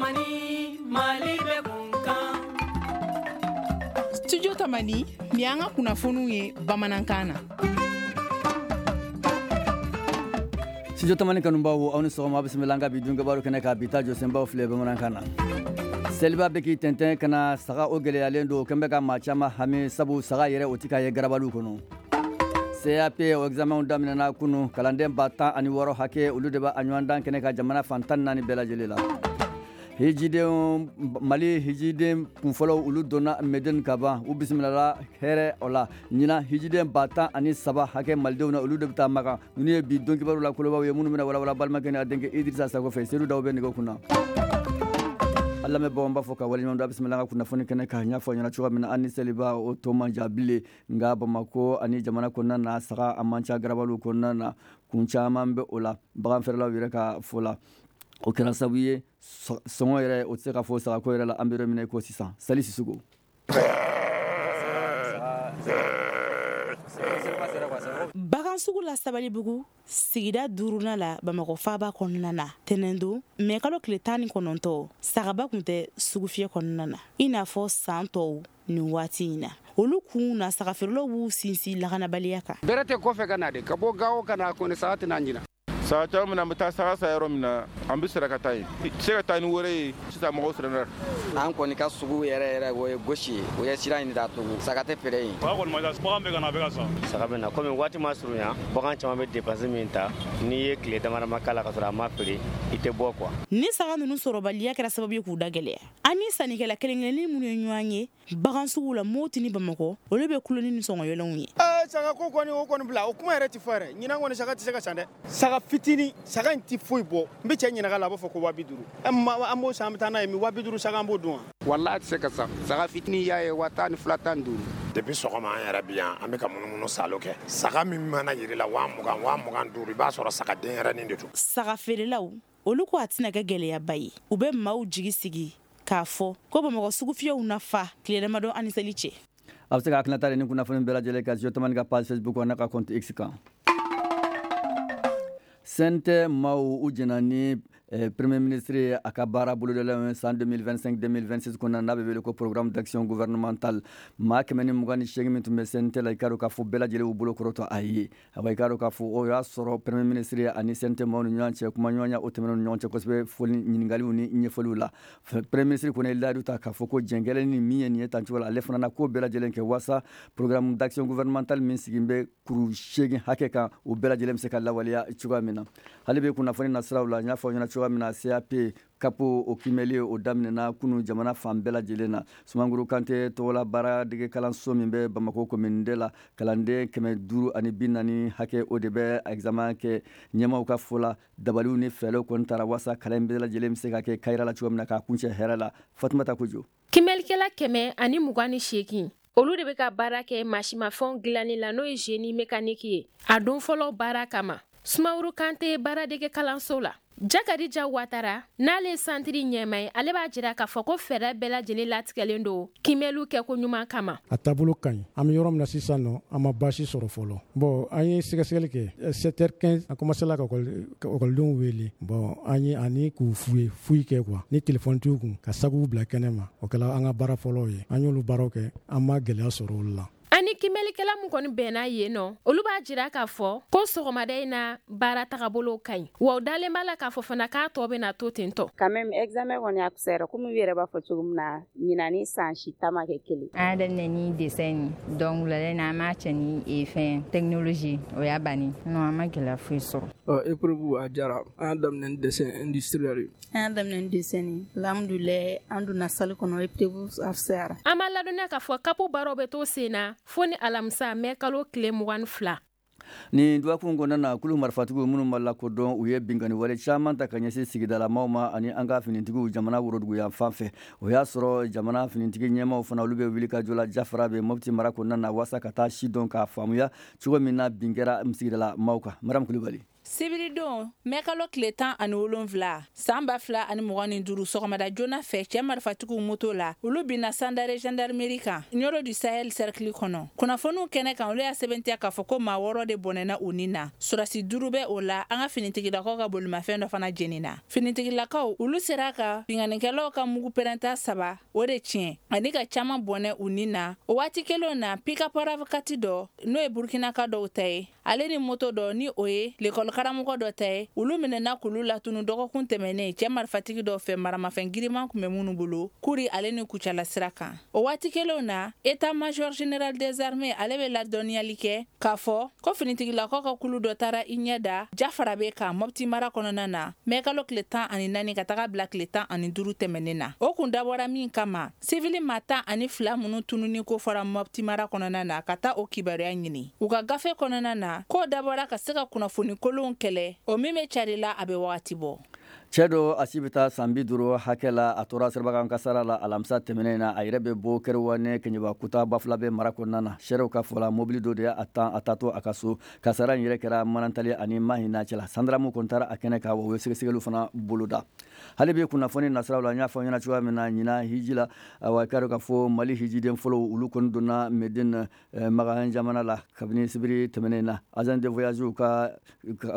Tamani, Mali bɛ kun kan. Studio Tamani, nin y'an ka kunnafoniw ye bamanankan na. Studio Tamani kanubaw, aw ni sɔgɔma. Bisimila an ka bi dunkibaru kɛnɛ kan. Bi ta jɔsenbaw filɛ bamanankan na. Seliba bɛ k'i tɛntɛn ka na, saga o gɛlɛyalen don, kɛn bɛ ka maa caman hami, sabu saga yɛrɛ o tɛ ka ye garabaliw kɔnɔ. CAP o examenw daminɛna kunu. Kalanden 16,000 hakɛ, olu de b'a ɲɔgɔndan kɛnɛ ka jamana fan 14 bɛɛ lajɛlen la. Hijiden, Mali hijiden kunfɔlɔw, olu donna Medine ka ban, u bisimilala hɛrɛ o la. Ɲinan, hijiden 13,000 hakɛ malidenw na, olu de bɛ taa Makan. Ninnu ye bi don kibaru la kolobaw ye minnu bɛna walawala balimakɛ ni a denkɛ Idrissa Sako fɛ. Sedu Daw bɛ nɛgɛ kunna. An lamɛnbaaw, an b'a fɔ ka waleɲuman dɔn. A bisimila an ka kunnafoni kɛnɛ kan. N y'a fɔ ɲɛna cogoya min na, an ni seliba o tɔ man jan bilen, nka Bamakɔ ani jamana kɔnɔna na, saga a man ca garabaliw kɔnɔna na. Kun caman bɛ o la. Baganfɛɛrɛlaw yɛrɛ ka fɔ la, o kɛra sababu ye sɔngɔ yɛrɛ o tɛ se ka fɔ sagako yɛrɛ la an bɛ yɔrɔ min na i ko sisan. Sali Sisoko. Bagan sugu la Sabalibugu, sigida duurunan la, Bamakɔ faaba kɔnɔna na, tɛnɛndon mɛ kalo tile 19, sagaba tun tɛ sugufiyɛ kɔnɔna na i n'a fɔ san tɔw nin waati in na. Olu kun na, sagafeerelaw b'u sinsin lakanabaliya kan. Bɛrɛ tɛ kɔfɛ ka na de, ka bɔ Gawo ka na kɔni, saga tɛna ɲina. Saga caman min, an bɛ taa saga san yɔrɔ min na, an bɛ sira ka taa yen, se ka taa ni wɛrɛ ye sisan. Mɔgɔw siranna. An kɔni ka sugu yɛrɛ yɛrɛ, o ye gosi ye, o ye sira in datugu, saga tɛ feere yen. Saga kɔni ma ca, bagan bɛ ka na, a bɛ ka san. Saga bɛ na komi waati ma surunya, bagan caman bɛ dépense min ta, n'i ye tile dama dama k'a la ka sɔrɔ a ma feere, i tɛ bɔ quoi. Ni saga ninnu sɔrɔbaliya kɛra sababu ye k'u da gɛlɛya. An ni sannikɛla kelen kelennin minnu ye ɲɔgɔn ye bagan sugu la Moti ni Bamakɔ, olu bɛ kulo ni sɔngɔyɛlɛnw ye. Saga ko kɔni, o kɔni bila, o kuma yɛrɛ tɛ fɔ yɛrɛ. Ɲinan kɔni, saga tɛ se ka san dɛ. Saga fitinin, saga in tɛ foyi bɔ. N bɛ cɛ ɲininka la, a b'a fɔ ko 50,000. An b'o san, an bɛ taa n'a ye min? 50,000 saga, an b'o dun wa? Walahi, a tɛ se ka san. Saga fitinin y'a ye 12,000, 15. Depuis sɔgɔma an yɛrɛ bi yan, an bɛ ka munumunu salo kɛ. Saga min mana yiri la 20,000, 25,000, i b'a sɔrɔ saga denyɛrɛnin de don. Saga feerelaw, olu ko a tɛna kɛ gɛlɛyaba ye. U bɛ maaw jigi sigi k'a fɔ ko Bamakɔ sugufiyɛw na fa tile damadɔ ani seli cɛ. A bɛ se ka hakilinata ni kunnafoni bɛɛ lajɛlen ka Studio Tamani ka page Facebook n'a ka compte X kan. CNT maaw u jɛna ni premier ministre ye a ka baara bolodalen san 2025 2026 kɔnɔna, n'a bɛ wele ko programme d'action gouvernemental. Maa 128 min tun bɛ CNT la, i k'a dɔn k'a fɔ bɛɛ lajɛlen y'u bolo kɔrɔtɔ a ye. Awa, i k'a dɔn k'a fɔ o y'a sɔrɔ premier ministre ani CNT maaw ni ɲɔgɔn cɛ, kumaɲɔgɔnya o tɛmɛn'u ni ɲɔgɔn cɛ kosɛbɛ, foli, ɲininkaliw ni ɲɛfɔliw la. Premier ministre kɔni ye layidu ta k'a fɔ ko jɛn kɛlen ni min ye nin ye tan cogo la, ale fana na ko bɛɛ lajɛlen kɛ waasa programme d'action gouvernemental min sigi bɛ kuru seegin hakɛ kan, o bɛɛ lajɛlen bɛ se ka lawaleya cogoya min na. Hali bɛ kunnafoni nasiraw la, n y'a fɔ ɲɛna cogoya min na, CAP CAP o kiimɛli o daminɛna kunu jamana fan bɛɛ lajɛlen na. Sumanguru Kante tɔgɔla baaradege kalanso min bɛ Bamakɔ commune de la, kalanden 540 hakɛ, o de bɛ examen kɛ. Ɲɛmaw ka fɔ la, dabaliw ni fɛɛrɛw kɔni taara waasa kalan bɛɛ lajɛlen bɛ se ka kɛ kayira la cogo min na, k'a kuncɛ hɛrɛ la. Fatumata Kojo. Kimɛlikɛla 128, olu de bɛ ka baara kɛ masimafɛnw dilanni la, n'o ye génie mécanique ye, a don fɔlɔ baara kama Sumaworo Kante baaradege kalanso la. Jakadija Watara, n'ale ye santiri ɲɛma ye, ale b'a jira k'a fɔ ko fɛɛrɛ bɛɛ lajɛlen latigɛlen don kimɛliw kɛko ɲuman kama. A taabolo ka ɲi. An bɛ yɔrɔ min na sisan nɔ, an ma baasi sɔrɔ fɔlɔ. Bon, an ye sɛgɛsɛgɛli kɛ 7h15, an commencé la ka ekɔlidenw wele. Bon, an ye ani k'u fouiller, fouille kɛ quoi, ni téléphone t'u kun, ka sakuw bila kɛnɛ ma. O kɛla an ka baara fɔlɔw ye. An y'olu baaraw kɛ, an ma gɛlɛya sɔrɔ olu la. Ani kimɛlikɛla min kɔni bɛnna yen nɔ, olu b'a jira k'a fɔ ko sɔgɔmada in na, baara tagabolo ka ɲi, wa u dalen b'a la k'a fɔ fana k'a tɔ bɛna to ten tɔ. Quand même, examen kɔni a fisayara. Komi u yɛrɛ b'a fɔ cogo min na, ɲinan ni san si ta ma kɛ kelen. An y'a daminɛ ni dessin ye, donc wulada in na, an b'a cɛ ni fɛn technologie, o y'a banni. Non, an ma gɛlɛya foyi sɔrɔ. Épreuve a diyara. An y'a daminɛ ni dessin industriel ye. An y'a daminɛ ni dessin ye, alhamdulilayi, an donna salle kɔnɔ, épreuve a fisayara. An b'a ladɔnniya k'a fɔ CAP baaraw bɛ to sen na fo ni alamisa mɛ kalo tile 22. Nin dɔgɔkun kɔnɔna na, kulu marifatigiw minnu ma lakodɔn, u ye binkanni wale caman ta ka ɲɛsin sigidalamaw ma ani an ka finitigiw jamana woroduguyan fan fɛ. O y'a sɔrɔ jamana finitigi ɲɛmaw fana, olu bɛ wuli ka jɔ la Jafara bɛ Mopti mara kɔnɔna na, waasa ka taa si dɔn k'a faamuya cogo min na bin kɛra sigidala maaw kan. Maram Kulubali. Sibiridon, mɛkalo tile 17, san 2025, sɔgɔmada joona fɛ, cɛ marifatigiw moto la, olu binna Sandare gendarmerie kan, Nioro du Sahel cercle kɔnɔ. Kunnafoniw kɛnɛ kan, olu y'a sɛbɛntiya k'a fɔ ko maa 6 de bɔnɛna u ni na, sɔrɔdasi 5 bɛ o la. An ka finitigilakaw ka bolimafɛn dɔ fana jenina. Finitigilakaw, olu sera ka binkannikɛlaw ka mugu pɛrɛnta 3 o de tiɲɛ ani ka caman bɔnɛ u ni na. O waati kelen na, pick-up RAV4 dɔ, n'o ye Burkinaka dɔw ta ye, ale ni moto dɔ, ni o ye lekɔli karamɔgɔ dɔ ta ye, olu minɛna k'olu latunu dɔgɔkun tɛmɛnen cɛ marifatigi dɔ fɛ, maramafɛn giriman tun bɛ minnu bolo Kuri ale ni Kucala sira kan. O waati kelen na, état major général des armées ale bɛ ladɔnniyali kɛ k'a fɔ ko finitigilakaw ka kulu dɔ taara i ɲɛ da Jafarabe kan Mopti mara kɔnɔna na, mɛkalo tile 14 ka taga bila tile 15 tɛmɛnen na. O kun dabɔra min kama, sivili maa 12 minnu tununi ko fɔra Mopti mara kɔnɔna na, ka taa o kibaruya ɲini u ka gafe kɔnɔna na, k'o dabɔra ka se ka kunnafoni kolonw kɛlɛ, o min bɛ cari la a bɛ wagati bɔ. Cɛ dɔ, a si bɛ taa san 50 hakɛ la, a tora sirabakan kasara la alamisa tɛmɛnen na. A yɛrɛ bɛ bɔ Kɛrɛwane Keɲeba Kuta Bafulabe mara kɔnɔna na. Seerew ka fɔ la, mobili dɔ de y'a tan a taatɔ a ka so. Kasara in yɛrɛ kɛra Manantali ani Mahina cɛla. Sandaramu kɔni taara a kɛnɛ kan, wa u ye sɛgɛsɛgɛliw fana boloda. Hali bi kunnafoni nasiraw la, n y'a fɔ ɲɛna cogoya min na, ɲinan hiji la, awa, k'a dɔn k'a fɔ Mali hijiden fɔlɔw, olu kɔni donna Medine, Makan jamana la kabini sibiri tɛmɛnen na. Agence de voyage ka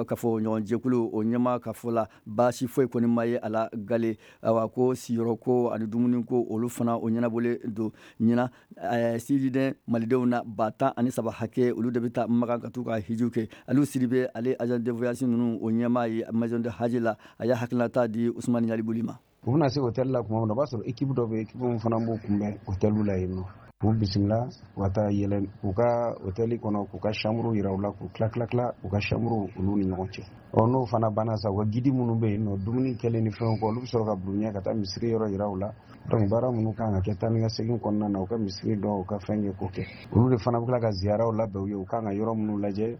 kafo ɲɔgɔn jɛkulu o ɲɛmaa ka fɔ la, baasi foyi kɔni ma ye a la gale. Awa, ko siyɔrɔ ko ani dumuni ko, olu fana o ɲɛnabɔlen don. Ɲinan hijiden malidenw na 13,000 hakɛ, olu de bɛ taa Makan ka t'u ka hijiw kɛ. Aliou Sidibe, ale agence de voyage ninnu o ɲɛmaa ye maison de haji la, a y'a hakilinata di Usumani Ɲalibuli ma. U bɛna se hôtel la tuma min na, o b'a sɔrɔ équipe dɔ bɛ yen, équipe min fana b'u kunbɛn hôtel la yen nɔ, k'u bisimila u ka taa yɛlɛ u ka hôtel kɔnɔ, k'u ka chambre yira u la, k'u tila tila tila u ka chambre olu ni ɲɔgɔn cɛ. Ɔ n'o fana banna sa, u ka guide minnu bɛ yen nɔ, dumuni kɛlen ni fɛnw kɔ, olu bɛ sɔrɔ ka bila u ɲɛ ka taa misiri yɔrɔ yira u la. Donc baara minnu kan ka kɛ taa ni ka segin kɔnɔna na, u ka misiri dɔn, u ka fɛn kɛ k'o kɛ. Olu de fana bɛ tila ka ziyaraw labɛn u ye, u kan ka yɔrɔ minnu lajɛ.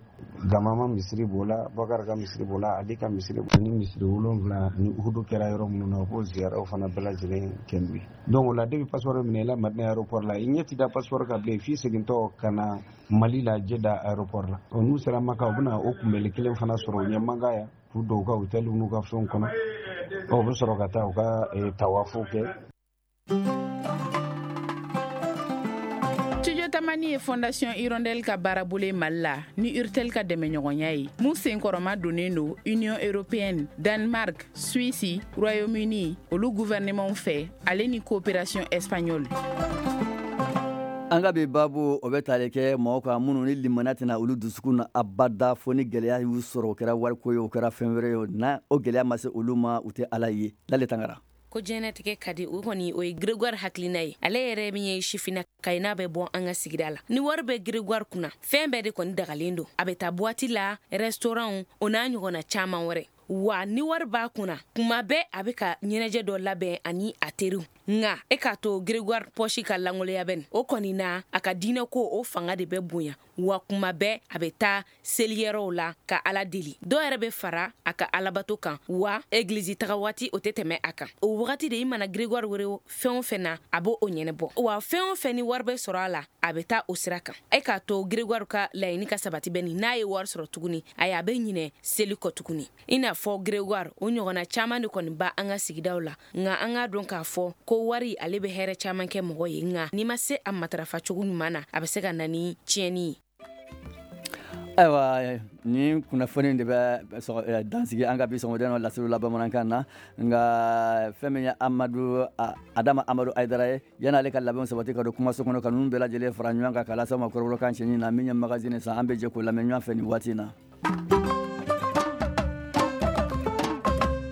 Gamama misiri b'o la, Bakari ka misiri b'o la, Ali ka misiri ni misiri 7 ni Uhudu kɛra yɔrɔ minnu na, u b'o ziyaraw fana bɛɛ lajɛlen kɛ n'u ye. Donc o la, depuis passeport minɛ i la Madina aéroport la, i ɲɛ ti da passeport kan bilen f'i segintɔ ka na Mali la Jeda aéroport la. Ɔ n'u sera Maka, u bɛna o kunbɛli kelen fana sɔrɔ u ɲɛ Maka yan, k'u don u ka hôtel n'u ka fɛnw kɔnɔ. Ɔ u bɛ sɔrɔ ka taa u ka tawafu kɛ. Studio Tamani ye Fondation Hirondelle ka baarabolo ye Mali la ni Urtel ka dɛmɛɲɔgɔnya ye, mun senkɔrɔma donnen don Union européenne, Danemark, Suisse, Royaume-Uni, olu gouvernement fɛ, ale ni coopération espagnole. An ka bi baabu, o bɛ tali kɛ mɔgɔw kan minnu ni limaniya tɛna olu dusukun na abada fo ni gɛlɛya y'u sɔrɔ. O kɛra wariko ye, o kɛra fɛn wɛrɛ ye, o na o gɛlɛya ma se olu ma, u tɛ Ala ye. Lale Tangara. Ko diɲɛnatigɛ ka di, o kɔni o ye Gregoire hakilina ye. Ale yɛrɛ min ye sifina ka ye, n'a bɛ bɔ an ka sigida la, ni wari bɛ Gregoire kunna, fɛn bɛɛ de kɔni dagalen don. A bɛ taa boîte la, restaurant, o n'a ɲɔgɔnna caman wɛrɛ. Wa ni wari b'a kunna, kuma bɛɛ a bɛ ka ɲɛnajɛ dɔ labɛn ani a teriw. Nka e k'a to Gregoire pɔsi ka langoloya bɛ nin o kɔni na, a ka diinɛ ko o fanga de bɛ bonya. Wa kuma bɛɛ a bɛ taa seliyɔrɔw la ka Ala deli. Dɔw yɛrɛ bɛ fara a ka alabato kan, wa egilizi taga waati o tɛ tɛmɛ a kan. O wagati de i mana Gregoire wele fɛn o fɛn na, a b'o ɲɛnabɔ. Wa fɛn o fɛn ni wari bɛ sɔrɔ a la, a bɛ taa o sira kan. E k'a to Gregoire ka laɲini ka sabati bɛ nin, n'a ye wari sɔrɔ tuguni, ayi, a bɛ ɲinɛ seli kɔ tuguni. I n'a fɔ Gregoire, o ɲɔgɔnna caman de kɔni ba an ka sigidaw la. Nka an k'a dɔn k'a fɔ ko wari ale bɛ hɛrɛ caman kɛ mɔgɔ ye, nka n'i ma se a matarafa cogo ɲuman na, a bɛ se ka na ni tiɲɛni ye. Ayiwa, ni kunnafoni de bɛ dansigi an ka bi sɔgɔmada in laseliw la bamanankan na. Nka fɛn min ye Amadu Adama Amadu Ayidara ye, yan'ale ka labɛnw sabati ka don kumaso kɔnɔ ka ninnu bɛɛ lajɛlen fara ɲɔgɔn kan k'a lase aw ma kɔrɔbɔrɔkan cɛɲi na, min ye magazine san, an bɛ jɛ k'o lamɛn ɲɔgɔn fɛ nin waati in na.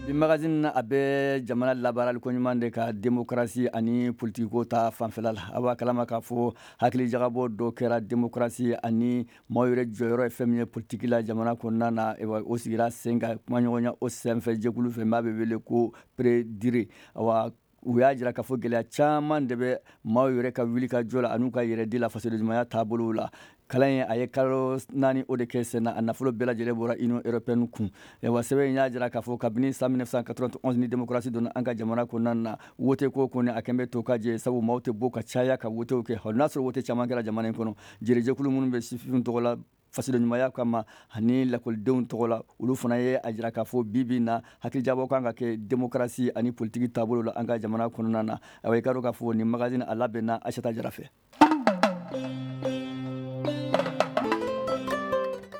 Bi magazine na, a bɛ jamana labaarali koɲuman de ka démocratie ani politikiko ta fanfɛla la. A b'a kalama k'a fɔ hakili jagabɔ dɔ kɛra démocratie ani maaw yɛrɛ jɔyɔrɔ ye fɛn min ye politiki la jamana kɔnɔna na. O sigira sen kan kumaɲɔgɔnya o senfɛ jɛkulu fɛ maa bɛ wele ko PREDIRE. Awa, u y'a jira k'a fɔ gɛlɛya caman de bɛ maaw yɛrɛ ka wuli ka jɔ la an'u ka yɛrɛ di la fasodenɲumanya taabolow la. Kalan in, a ye kalo 4 o de kɛ sen na. A nafolo bɛɛ lajɛlen bɔra Union européenne kun. Wa sɛbɛn in y'a jira k'a fɔ kabini san 1991 ni démocratie donna an ka jamana kɔnɔna na, wote ko kɔni a kɛn bɛ to ka jɛ, sabu maaw tɛ bɔ ka caya ka wotew kɛ. Hali n'a sɔrɔ wote caman kɛra jamana in kɔnɔ, jɛrɛjɛkulu minnu bɛ sifin tɔgɔ la fasodenɲumanya kama ani lakɔlidenw tɔgɔ la, olu fana ye a jira k'a fɔ bi bi na hakilijabɔ kan ka kɛ démocratie ani politiki taabolo la an ka jamana kɔnɔna na. Ayiwa, i ka dɔn k'a fɔ nin magazine a labɛnna Aïssata Jara fɛ.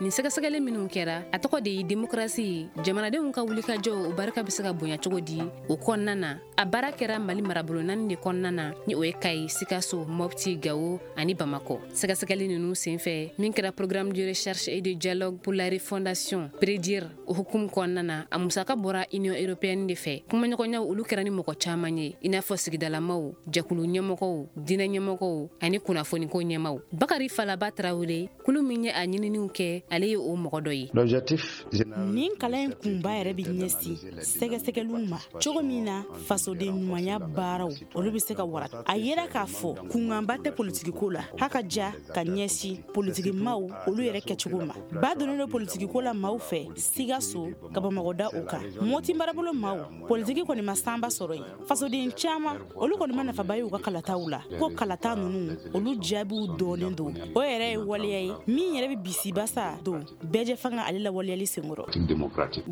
Nin sɛgɛsɛgɛli minnu kɛra, a tɔgɔ de ye démocratie, jamanadenw ka wulikajɔ, o barika bɛ se ka bonya cogo di o kɔnɔna na. A baara kɛra Mali marabolo naani de kɔnɔna na, ni o ye Kayi, Sikaso, Mopti, Gawo ani Bamakɔ. Sɛgɛsɛgɛli ninnu senfɛ, min kɛra Programme de recherche et de dialogue pour la refondation, PREDIR, o hukumu kɔnɔna na, a musaka bɔra Union européenne de fɛ. Kumaɲɔgɔnyaw olu kɛra ni mɔgɔ caman ye, i n'a fɔ sigidalamaw, jɛkulu ɲɛmɔgɔw, diinɛ ɲɛmɔgɔw ani kunnafoniko ɲɛmaw. Bakari Falaba Tarawele, kulu min ye a ɲininiw kɛ, ale ye o mɔgɔ dɔ ye. Nin kalan in kunba yɛrɛ bɛ ɲɛsin sɛgɛsɛgɛliw ma cogo min na fasoden ɲumanya baaraw olu bɛ se ka wara. A yera k'a fɔ kunkanba tɛ politikiko la, haka ja ka ɲɛsin politikimaw olu yɛrɛ kɛcogo ma. Ba donnen don politikiko la maaw fɛ Sikaso ka Bamakɔ da o kan. Moti marabolo maaw, politiki kɔni ma sanba sɔrɔ yen. Fasoden caman olu kɔni ma nafaba ye u ka kalataw la, ko kalata ninnu olu jaabiw dɔɔnin don. O yɛrɛ ye waleya ye min yɛrɛ bɛ bisibasa don bɛɛjɛ fanga ale lawaleyali senkɔrɔ.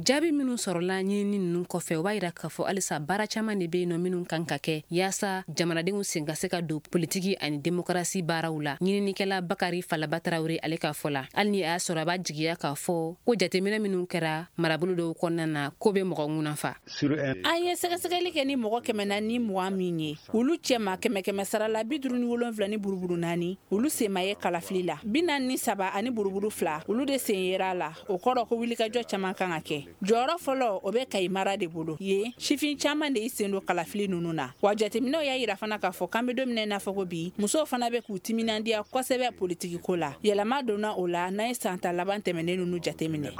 Jaabi minnu sɔrɔla ɲinini ninnu kɔfɛ, o b'a yira k'a fɔ halisa baara caman de bɛ yen nɔ minnu kan ka kɛ yaasa jamanadenw sen ka se ka don politiki ani demokarasi baaraw la. Ɲininikɛla Bakari Falaba Tarawele ale ka fɔ la, hali ni a y'a sɔrɔ a b'a jigiya k'a fɔ ko jateminɛ minnu kɛra marabolo dɔw kɔnɔna na, ko bɛ mɔgɔ ŋunafa. An ye sɛgɛsɛgɛli kɛ ni mɔgɔ 420 min ye, olu cɛma 100 sara la 57 ni buruburu 4, olu sen ma ye kalafili la, 43 ani buruburu 2, olu de sen yera la. O kɔrɔ ko wulikajɔ caman kan ka kɛ. Jɔyɔrɔ fɔlɔ, o bɛ Kayi mara de bolo. Yen sifin caman de y'i sen don kalafili ninnu na. Wa jateminɛw y'a yira fana k'a fɔ k'an bɛ don min na i n'a fɔ ko bi, musow fana bɛ k'u timinandiya kosɛbɛ politikiko la. Yɛlɛma donna o la n'an ye san ta laban tɛmɛnen ninnu jateminɛ.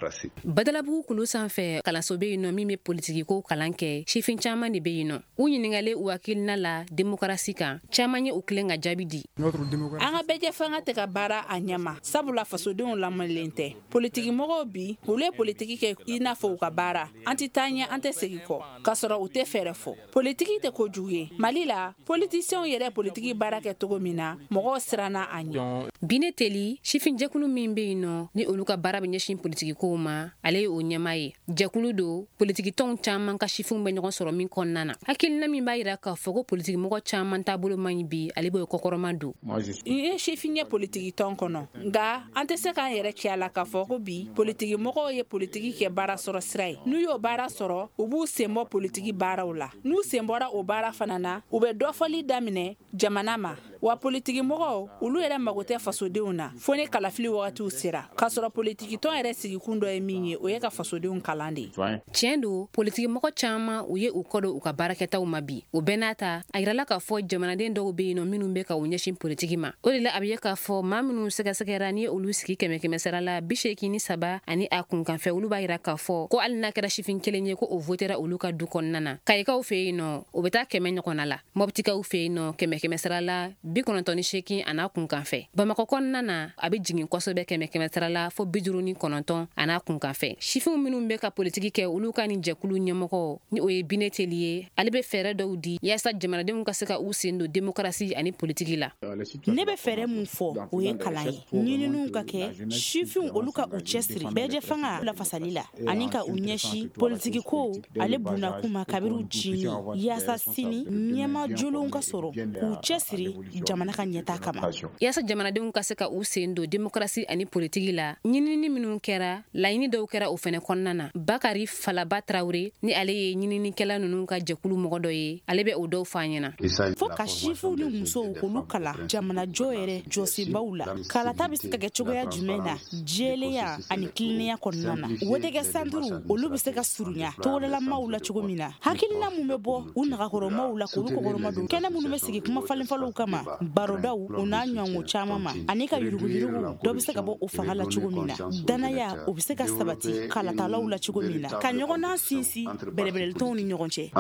Badalabugu kulu sanfɛ, kalanso bɛ yen nɔ min bɛ politikiko kalan kɛ, sifin caman de bɛ yen nɔ. U ɲininkalen u hakilina la demokarasi kan, caman ye u tilen ka jaabi di. An ka bɛɛjɛ fanga tɛ ka baara a ɲɛma, sabula fasodenw lamɔlen tɛ. Politikimɔgɔw bi, olu ye politiki kɛ i n'a fɔ u ka baara. An tɛ taa ɲɛ, an tɛ segin kɔ, k'a sɔrɔ u tɛ fɛɛrɛ fɔ. Politiki tɛ kojugu ye. Mali la, politisiɲɛw yɛrɛ politiki baara kɛ cogo min na, mɔgɔw siranna a ɲɛ. Bine Teli, sifinjɛkulu min bɛ yen nɔ ni olu ka baara bɛ ɲɛsin politikikow ma, ale ye o ɲɛmaa ye. Jɛkulu don politikitɔnw caman ka sifinw bɛ ɲɔgɔn sɔrɔ min kɔnɔna na. Hakilina min b'a yira k'a fɔ ko politikimɔgɔ caman taabolo man ɲi bi, ale b'o kɔkɔrɔma don. N ye sifin ye politikitɔn kɔnɔ, nka an tɛ se k'an yɛrɛ cɛ a la k'a fɔ ko bi politikimɔgɔw ye politiki kɛ baara sɔrɔ sira ye. N'u y'o baara sɔrɔ, u b'u sen bɔ politiki baaraw la. N'u sen bɔra o baara fana na, u bɛ dɔfɔli daminɛ jamana ma. Wa politikimɔgɔw olu yɛrɛ mago tɛ fasodenw na fo ni kalafili wagatiw sera, k'a sɔrɔ politikitɔn yɛrɛ sigikun dɔ ye min ye, o ye ka fasodenw kalan de ye. Tiɲɛ don, politikimɔgɔ caman u ye u kɔ don u ka baarakɛtaw ma bi. O bɛɛ n'a ta, a yirala k'a fɔ jamanaden dɔw bɛ yen nɔ minnu bɛ ka u ɲɛsin politiki ma. O de la a bɛ ye k'a fɔ maa minnu sɛgɛsɛgɛra, ni olu sigi 100 sara la 83 ani a kunkanfɛ, olu b'a yira k'a fɔ ko hali n'a kɛra sifin kelen ye, ko o votera olu ka du kɔnɔna na. Kayikaw fɛ yen nɔ, o bɛ taa 100 ɲɔgɔnna la. Mɔptikaw fɛ yen nɔ, 100 sara la 98 a n'a kunkanfɛ. Bamakɔ kɔnɔna na, a bɛ jigin kosɛbɛ 100 sara la fo 59 a n'a kunkanfɛ. Sifinw minnu bɛ ka politiki kɛ, olu ka nin jɛkulu ɲɛmɔgɔ, ni o ye Bine Teli ye, ale bɛ fɛɛrɛ dɔw di yaasa jamanadenw ka se ka u sen don demokarasi ani politiki la. Ne bɛ fɛɛrɛ mun fɔ, o ye kalan ye. Ɲininiw ka kɛ sifinw olu ka u cɛsiri bɛɛjɛ fanga lafasali la ani ka u ɲɛsin politikiko ale bunakun ma kabiri u cinin, yaasa sini ɲɛma jolenw ka sɔrɔ k'u cɛsiri jamana ka ɲɛtaa kama. Yaasa jamanadenw ka se ka u sen don demokarasi ani politiki la, ɲinini minnu kɛra, laɲini dɔw kɛra o fɛnɛ kɔnɔna na. Bakari Falaba Tarawele, ni ale ye ɲininikɛla ninnu ka jɛkulu mɔgɔ dɔ ye, ale bɛ o dɔw fɔ an ɲɛna. Fo ka sifinw ni musow k'olu kalan jamanajɔ yɛrɛ jɔsenbaw la. Kalata bɛ se ka kɛ cogoya jumɛn na jɛlenya ani tilennenya kɔnɔna na. Wotekɛ santuru olu bɛ se ka surunya togodalamaw la cogo min na. Hakilina mun bɛ bɔ u nagakɔrɔmaw la k'olu kɔkɔrɔma don. Kɛnɛ minnu bɛ sigi kuma falenfalenw kama, barodaw o n'a ɲɔgɔnko caman ma, ani ka yuruguyurugu dɔ bɛ se ka bɔ o fanga la cogo min na. Danaya o bɛ se ka sabati kalatalaw la cogo min na, ka ɲɔgɔndan sinsin bɛrɛbɛrɛlitɔnw ni ɲɔgɔn cɛ.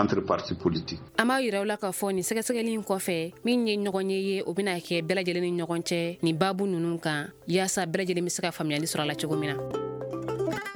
An b'a yira aw la k'a fɔ nin sɛgɛsɛgɛli in kɔfɛ, min ye ɲɔgɔn ye, o bɛna kɛ bɛɛ lajɛlen ni ɲɔgɔn cɛ nin baabu ninnu kan, yaasa bɛɛ lajɛlen bɛ se ka faamuyali sɔrɔ a la cogo min na.